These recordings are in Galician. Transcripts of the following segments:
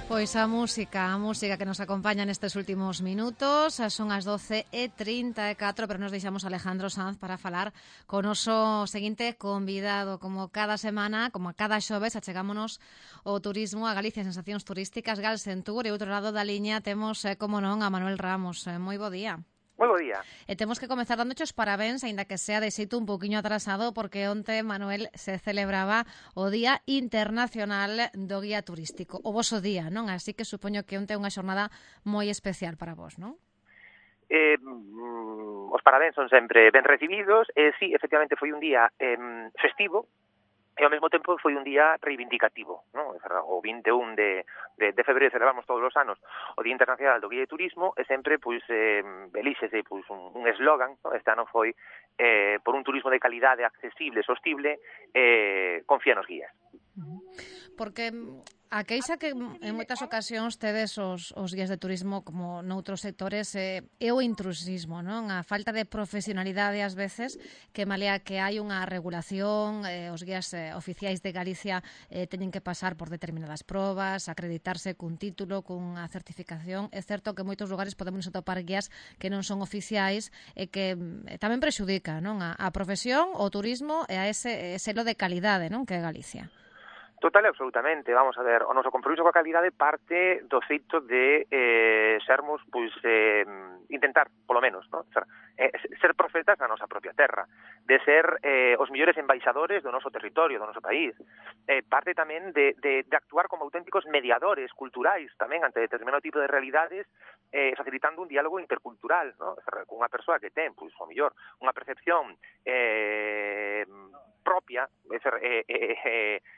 Pois a música que nos acompaña nestes últimos minutos. Son as 12:34, pero nos deixamos Alejandro Sanz para falar con o noso seguinte convidado. Como cada semana, como a cada xoves, achegámonos o turismo a Galicia, sensacións turísticas, Gal Sentur, e outro lado da liña temos, como non, a Manuel Ramos. Moi bo día. Moi bo día. E temos que comezar dándoche os parabéns, aínda que sea de xeito un poquinho atrasado, porque onte, Manuel, se celebraba o Día Internacional do Guía Turístico, o voso día, non? Así que supoño que onte é unha xornada moi especial para vos, non? Os parabéns son sempre ben recibidos, e sí, efectivamente foi un día festivo, e ao mesmo tempo foi un día reivindicativo, non? O 21 de febreiro celebramos todos os anos o Día Internacional do Guía de Turismo, e sempre elíxese un eslogan, non? Este ano foi por un turismo de calidade, accesible, sostible, confía nos guías. Porque a queixa que en moitas ocasións tedes os guías de turismo, como noutros sectores, é o intrusismo, non? A falta de profesionalidade ás veces, que malea que hai unha regulación, os guías oficiais de Galicia teñen que pasar por determinadas probas, acreditarse cun título, cunha certificación. É certo que en moitos lugares podemos atopar guías que non son oficiais e que tamén prexudica, non? A profesión, o turismo e a ese selo de calidade, non? Que é Galicia. Total e absolutamente, vamos a ver, o noso compromiso coa calidade parte do feito de sermos, intentar, polo menos, ¿no? Ser profetas da nosa propia terra, de ser os mellores embaixadores do noso territorio, do noso país. Parte tamén de actuar como auténticos mediadores culturais tamén ante determinado tipo de realidades, facilitando un diálogo intercultural, ¿no? Cunha persoa que ten, o mellor, unha percepción propia,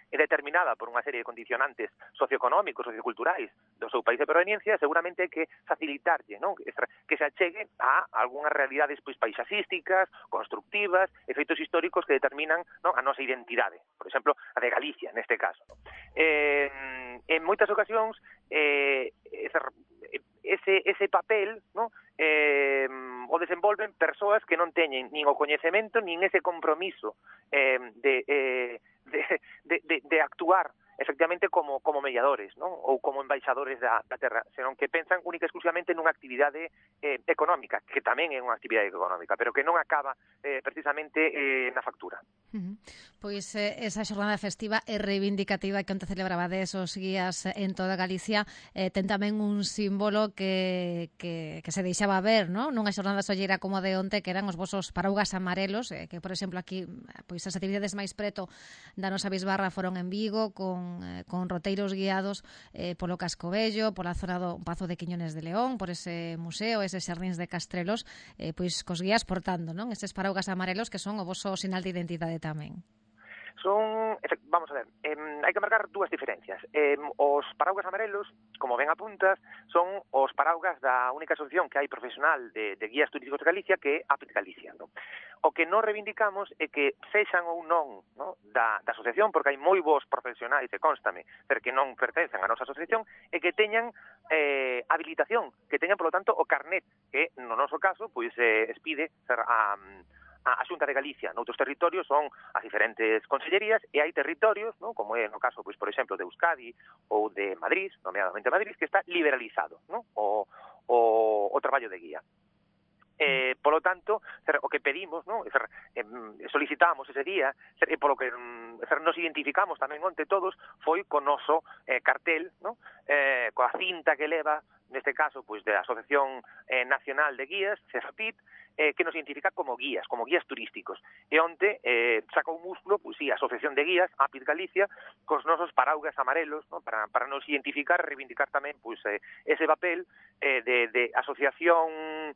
determinada por unha serie de condicionantes socioeconómicos, socioculturais do seu país de proveniencia, seguramente hai que facilitarlle, non? Que se achegue a algunhas realidades paisaxísticas, constructivas, efeitos históricos que determinan, non, a nosa identidade. Por exemplo, a de Galicia, neste caso. En moitas ocasións, ese papel, non, o desenvolven persoas que non teñen nin o coñecemento nin ese compromiso de actuar efectivamente como mediadores, non? Ou como embaixadores da terra, senón que pensan única e exclusivamente nunha actividade económica, que tamén é unha actividade económica, pero que non acaba precisamente na factura. Pois esa xornada festiva e reivindicativa que onte celebrabades os guías en toda Galicia ten tamén un símbolo que se deixaba ver, non? Nunha xornada solleira como de onte, que eran os vosos paraugas amarelos, que, por exemplo, aquí pois as actividades máis preto da nosa bisbarra foron en Vigo, con roteiros guiados polo Casco Vello, pola zona do Pazo de Quiñones de León, por ese museo, eses xardíns de Castrelos, pois cos guías portando, non? Eses paraugas amarelos que son o voso sinal de identidade tamén. Vamos a ver, hai que marcar dúas diferencias. Os paraugas amarelos, como ben apuntas, son os paraugas da única asociación que hai profesional de guías turísticos de Galicia, que é Apit Galicia, non? O que non reivindicamos é que sexan ou non, no, da asociación, porque hai moi bons profesionais, e constame, pero que non pertencen á nosa asociación, e que teñan habilitación, que teñan, polo tanto, o carnet, que no noso caso, pois, expide ser a Xunta de Galicia. Noutros territorios son as diferentes consellerías, e hai territorios, non, como é no caso, pois, por exemplo, de Euskadi ou de Madrid, nomeadamente Madrid, que está liberalizado, non, o traballo de guía. Polo tanto, o que pedimos, non, solicitamos ese día, e polo que nos identificamos tamén onte todos, foi co noso cartel, non, coa cinta que leva, neste caso, pois, da Asociación Nacional de Guías, CEFAPIT, que nos identifica como guías turísticos. E onte sacou músculo, pois sí, a Asociación de Guías, Apit Galicia, cos nosos paraugas amarelos, non, para nos identificar, reivindicar tamén, pois, ese papel de asociación,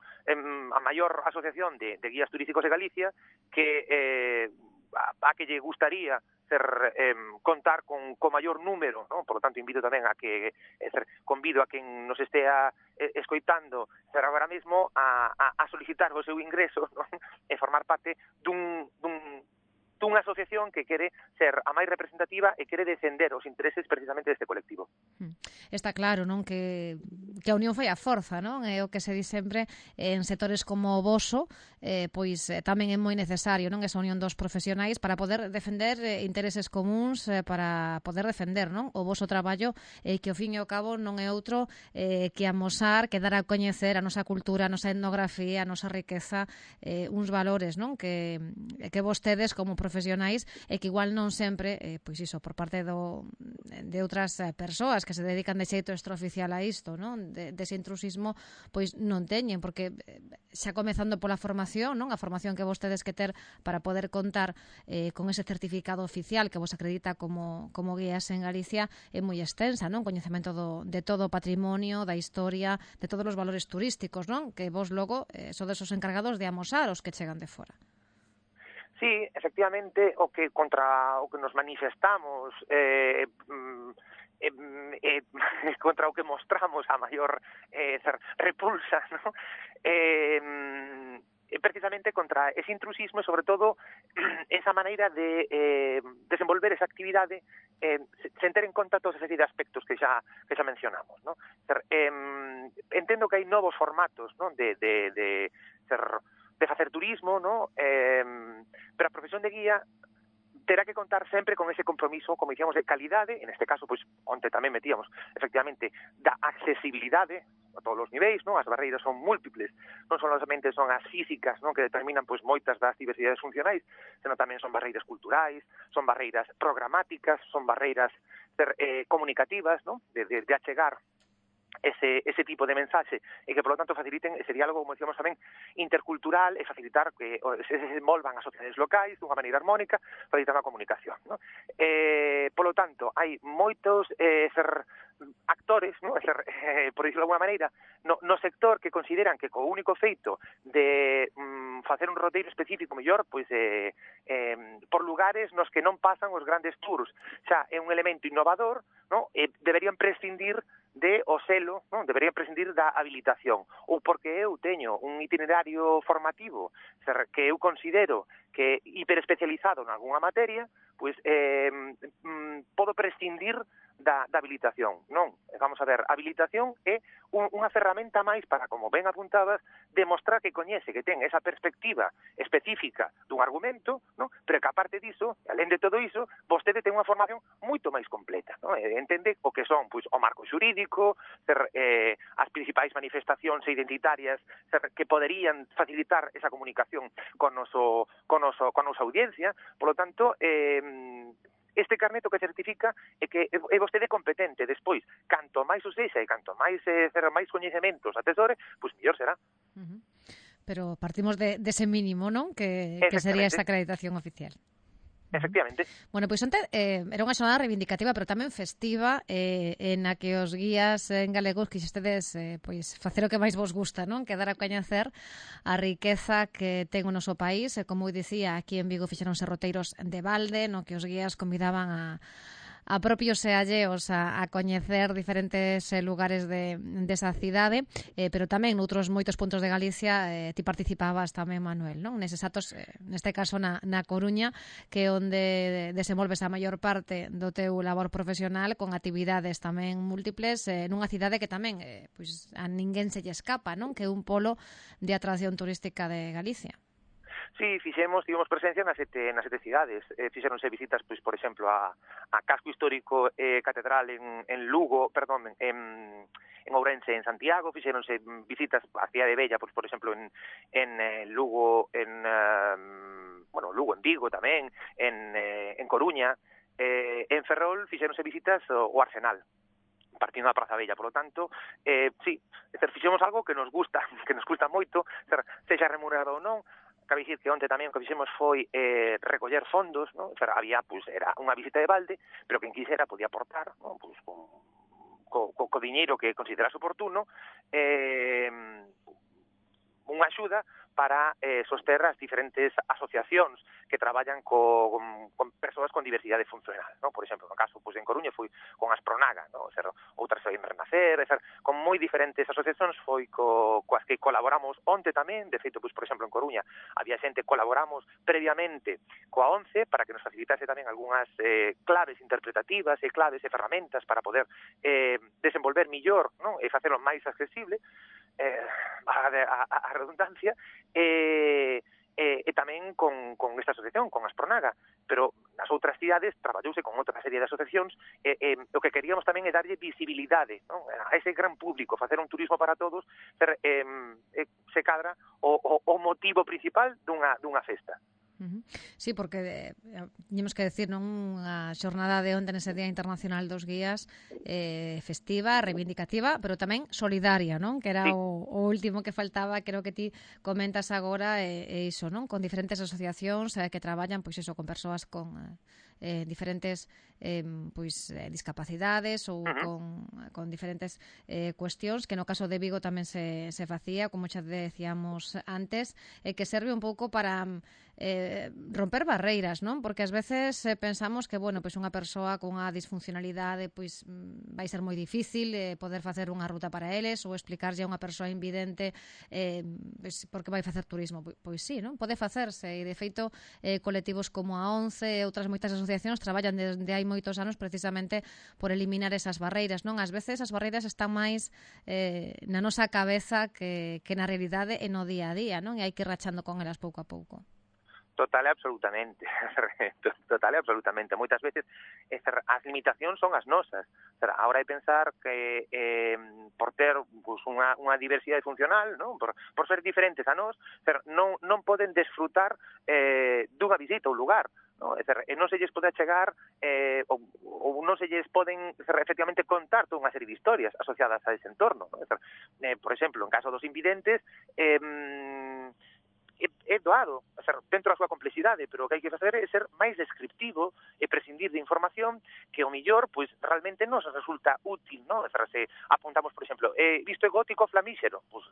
a maior asociación de guías turísticos de Galicia, que a que lle gustaría contar con maior número, non? Por lo tanto, invito tamén a que convido a quen nos estea escoitando agora mesmo a solicitar o seu ingreso, non? E formar parte dunha asociación que quere ser a máis representativa e quere defender os intereses precisamente deste colectivo. Está claro, non, que a unión fai a forza, non? É o que se di sempre en sectores como o voso, pois tamén é moi necesario, non? Esa unión dos profesionais para poder defender intereses comuns, para poder defender, non? O voso traballo, que ao fin e ao cabo non é outro que amosar, que dar a coñecer a nosa cultura, a nosa etnografía, a nosa riqueza, uns valores, non? Que vostedes como profesionais e que igual non sempre, pois iso, por parte de outras persoas que se dedican de xeito extraoficial a isto, non? Dese intrusismo, pois non teñen, porque xa comezando pola formación, non? A formación que vostedes que ter para poder contar con ese certificado oficial que vos acredita como guías en Galicia é moi extensa, non? Coñecemento de todo o patrimonio, da historia, de todos os valores turísticos, non? Que vos logo sodes os encargados de amosar os que chegan de fora. Sí, efectivamente, o que nos manifestamos contra o que mostramos a maior repulsa, ¿no? Precisamente contra ese intrusismo e, sobre todo, esa maneira de desenvolver esa actividade sen ter en conta todos ese aspectos que xa mencionamos, ¿no? Entendo que hai novos formatos, ¿no? de facer turismo, ¿no? Pero a profesión de guía terá que contar sempre con ese compromiso, como dicíamos, de calidade, en este caso, pois, onde tamén metíamos, efectivamente, da accesibilidade a todos os niveis, non? As barreiras son múltiples, non solamente son as físicas, non? Que determinan, pois, moitas das diversidades funcionais, senón tamén son barreiras culturais, son barreiras programáticas, son barreiras comunicativas, non? De achegar ese tipo de mensaxe e que, polo tanto, faciliten ese diálogo, como decíamos tamén, intercultural e facilitar que se desenvolvan as sociedades locais dunha maneira armónica, facilitar a comunicación, ¿no? Polo tanto, hai moitos actores, ¿no? Por dicirlo de alguma maneira, no sector que consideran que co único feito de facer un roteiro específico mellor, pois por lugares nos que non pasan os grandes tours, xa é un elemento innovador, ¿no? Deberían prescindir de o selo, non? Deberían prescindir da habilitación, ou porque eu teño un itinerario formativo que eu considero que é hiperespecializado en algunha materia, pois podo prescindir da habilitación. Non, vamos a ver, a habilitación é unha ferramenta máis para, como ben apuntabas, demostrar que coñece, que ten esa perspectiva específica dun argumento, non? Pero que aparte diso, alén de todo iso, vostede ten unha formación moito máis completa, non? Entende o que son, pois, o marco xurídico, as principais manifestacións identitarias que poderían facilitar esa comunicación con a nosa audiencia. Polo tanto, este carneto que certifica é que é vostede competente. Despois, canto máis o sexa e canto máis coñecementos atesore, pois mellor será. Pero partimos dese mínimo, non? Que sería esa acreditación oficial. Efectivamente. Bueno, pois onte era unha xornada reivindicativa, pero tamén festiva, na que os guías en galegos quixestedes pois facer o que máis vos gusta, non? Que dar a coñecer a riqueza que ten o noso país, e como dicía, aquí en Vigo fixeronse roteiros de balde, no que os guías convidaban a propios e alleos a coñecer diferentes lugares desa cidade, pero tamén noutros moitos puntos de Galicia ti participabas tamén, Manuel, non? Neses actos, neste caso na Coruña, que é onde desenvolves a maior parte do teu labor profesional, con actividades tamén múltiples, nunha cidade que tamén pois a ninguén se lle escapa, non? Que é un polo de atracción turística de Galicia. Sí, tivemos presencia nas sete cidades. Fixeronse visitas, pois, por exemplo, a casco histórico catedral en Lugo, perdón, en Ourense, en Santiago. Fixeronse visitas á cidade bella, pois, por exemplo, en Lugo, Lugo, en Vigo tamén, en Coruña. En Ferrol fixeronse visitas ao Arsenal, partindo da Praza Bella. Polo tanto, sí, fixemos algo que nos gusta moito, sexa remunerado ou non. Cabe dicir que onte tamén o que fixemos foi recoller fondos, non? Había, pois, era unha visita de balde, pero quen quixera podía aportar, non? Pois, co diñeiro que considerase oportuno, unha axuda para soster as diferentes asociacións que traballan con persoas con diversidade funcional, non? Por exemplo, no caso, pois en Coruña foi con Aspronaga, non? Outras foi en Renacer, con moi diferentes asociacións foi coas que colaboramos onte tamén. De feito, pois por exemplo, en Coruña había xente, colaboramos previamente coa ONCE para que nos facilitase tamén algunhas claves interpretativas e claves e ferramentas para poder desenvolver millor, non? E facelo máis accesible, a redundancia, e tamén con esta asociación, con Aspronaga, pero nas outras cidades traballouse con outra serie de asociacións, o que queríamos tamén é darlle visibilidade, non? A ese gran público, facer un turismo para todos, se cadra o motivo principal dunha festa. Sí, porque temos que decir, non, a xornada de onte nese Día Internacional dos Guías, festiva, reivindicativa, pero tamén solidaria, non? Que era sí. o último que faltaba, creo que ti comentas agora, iso, non? Con diferentes asociacións que traballan, pois iso, con persoas con diferentes discapacidades ou con diferentes cuestións, que no caso de Vigo tamén se facía, como xa decíamos antes, que serve un pouco para romper barreiras, non? Porque ás veces pensamos que, bueno, pois unha persoa con unha disfuncionalidade pois vai ser moi difícil poder facer unha ruta para eles, ou explicarlle a unha persoa invidente pois, porque vai facer turismo. Pois sí, non? Pode facerse, e de feito colectivos como a ONCE e outras moitas asociacións traballan desde hai moitos anos precisamente por eliminar esas barreiras, non? Ás veces as barreiras están máis na nosa cabeza que na realidade e no día a día, non? E hai que ir rachando con elas pouco a pouco. Total e absolutamente. Total e absolutamente. Moitas veces as limitacións son as nosas. Agora hai pensar que por ter pues, unha diversidade funcional, non? Por ser diferentes a nós, non poden desfrutar dunha visita ou lugar. No? Non se lles pode achegar ou non se lles poden efectivamente contar toda unha serie de historias asociadas a ese entorno. No? Por exemplo, en caso dos invidentes, é doado, dentro da súa complexidade, pero o que hai que facer é ser máis descriptivo e prescindir de información que o millor, pois, realmente nos resulta útil, non? Se apuntamos, por exemplo, visto é gótico flamíxero, pois,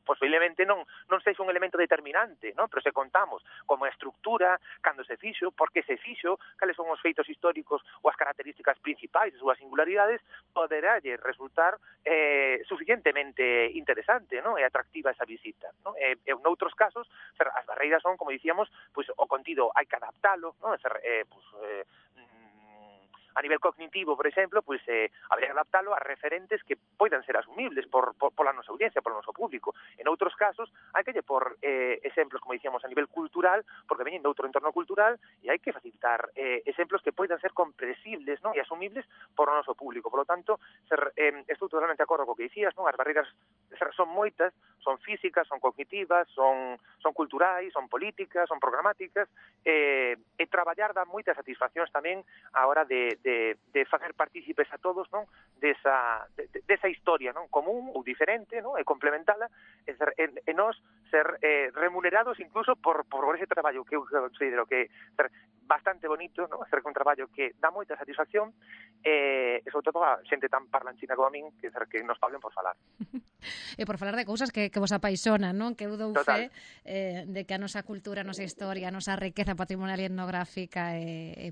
posiblemente non sexa un elemento determinante, non? Pero se contamos como a estructura, cando se fixo, por que se fixo, cales son os feitos históricos ou as características principais e súas singularidades, poderalle resultar suficientemente interesante, non? E atractiva esa visita, non? E noutros casos, as barreiras son, como dicíamos, pois o contido hai que adaptalo, non? A nivel cognitivo, por exemplo, pois habría que adaptalo a referentes que poidan ser asumibles pola nosa audiencia, polo noso público. En outros casos, hai que lle por exemplos, como dicíamos, a nivel cultural, porque veñen de outro entorno cultural, e hai que facilitar exemplos que poidan ser comprensibles, non? E asumibles por o noso público. Por lo tanto, estou totalmente de acordo co que dicías, non? As barreiras son moitas, son físicas, son cognitivas, son culturais, son políticas, son programáticas, e traballar dá moitas satisfaccións tamén a hora de facer partícipes a todos, non? Desa historia, non? Común ou diferente, non? E complementala, e nós ser remunerados incluso por ese traballo que eu considero que é bastante bonito, non? Hacer un traballo que dá moita satisfacción e sobre todo a xente tan parlanchina como a min que nos paguen por falar. E por falar de cousas que vos apaixonan, non? Que eu dou fe de que a nosa cultura, a nosa historia, a nosa riqueza patrimonial e etnográfica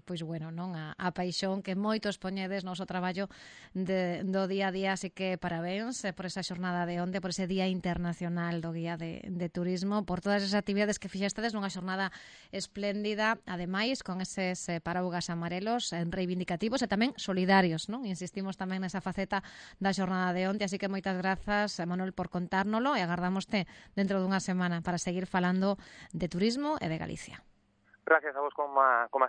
pois bueno, non? A paixón que moitos poñedes no noso traballo do día a día, así que parabéns por esa xornada de onte, por ese Día Internacional do Guía de Turismo, por todas esas actividades que fixestedes nunha xornada espléndida, ademais con eses paraugas amarelos reivindicativos e tamén solidarios, non? Insistimos tamén nesa faceta da xornada de onte, así que moitas grazas, Manuel, por contárnolo e agardámoste dentro dunha semana para seguir falando de turismo e de Galicia. Gracias a vos como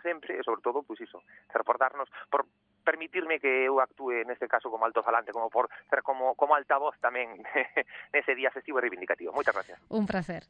sempre, e sobre todo, pois iso, por darnos, por permitirme que eu actúe neste caso como altofalante, como por ser como altavoz tamén nese día festivo e reivindicativo. Moitas gracias. Un placer.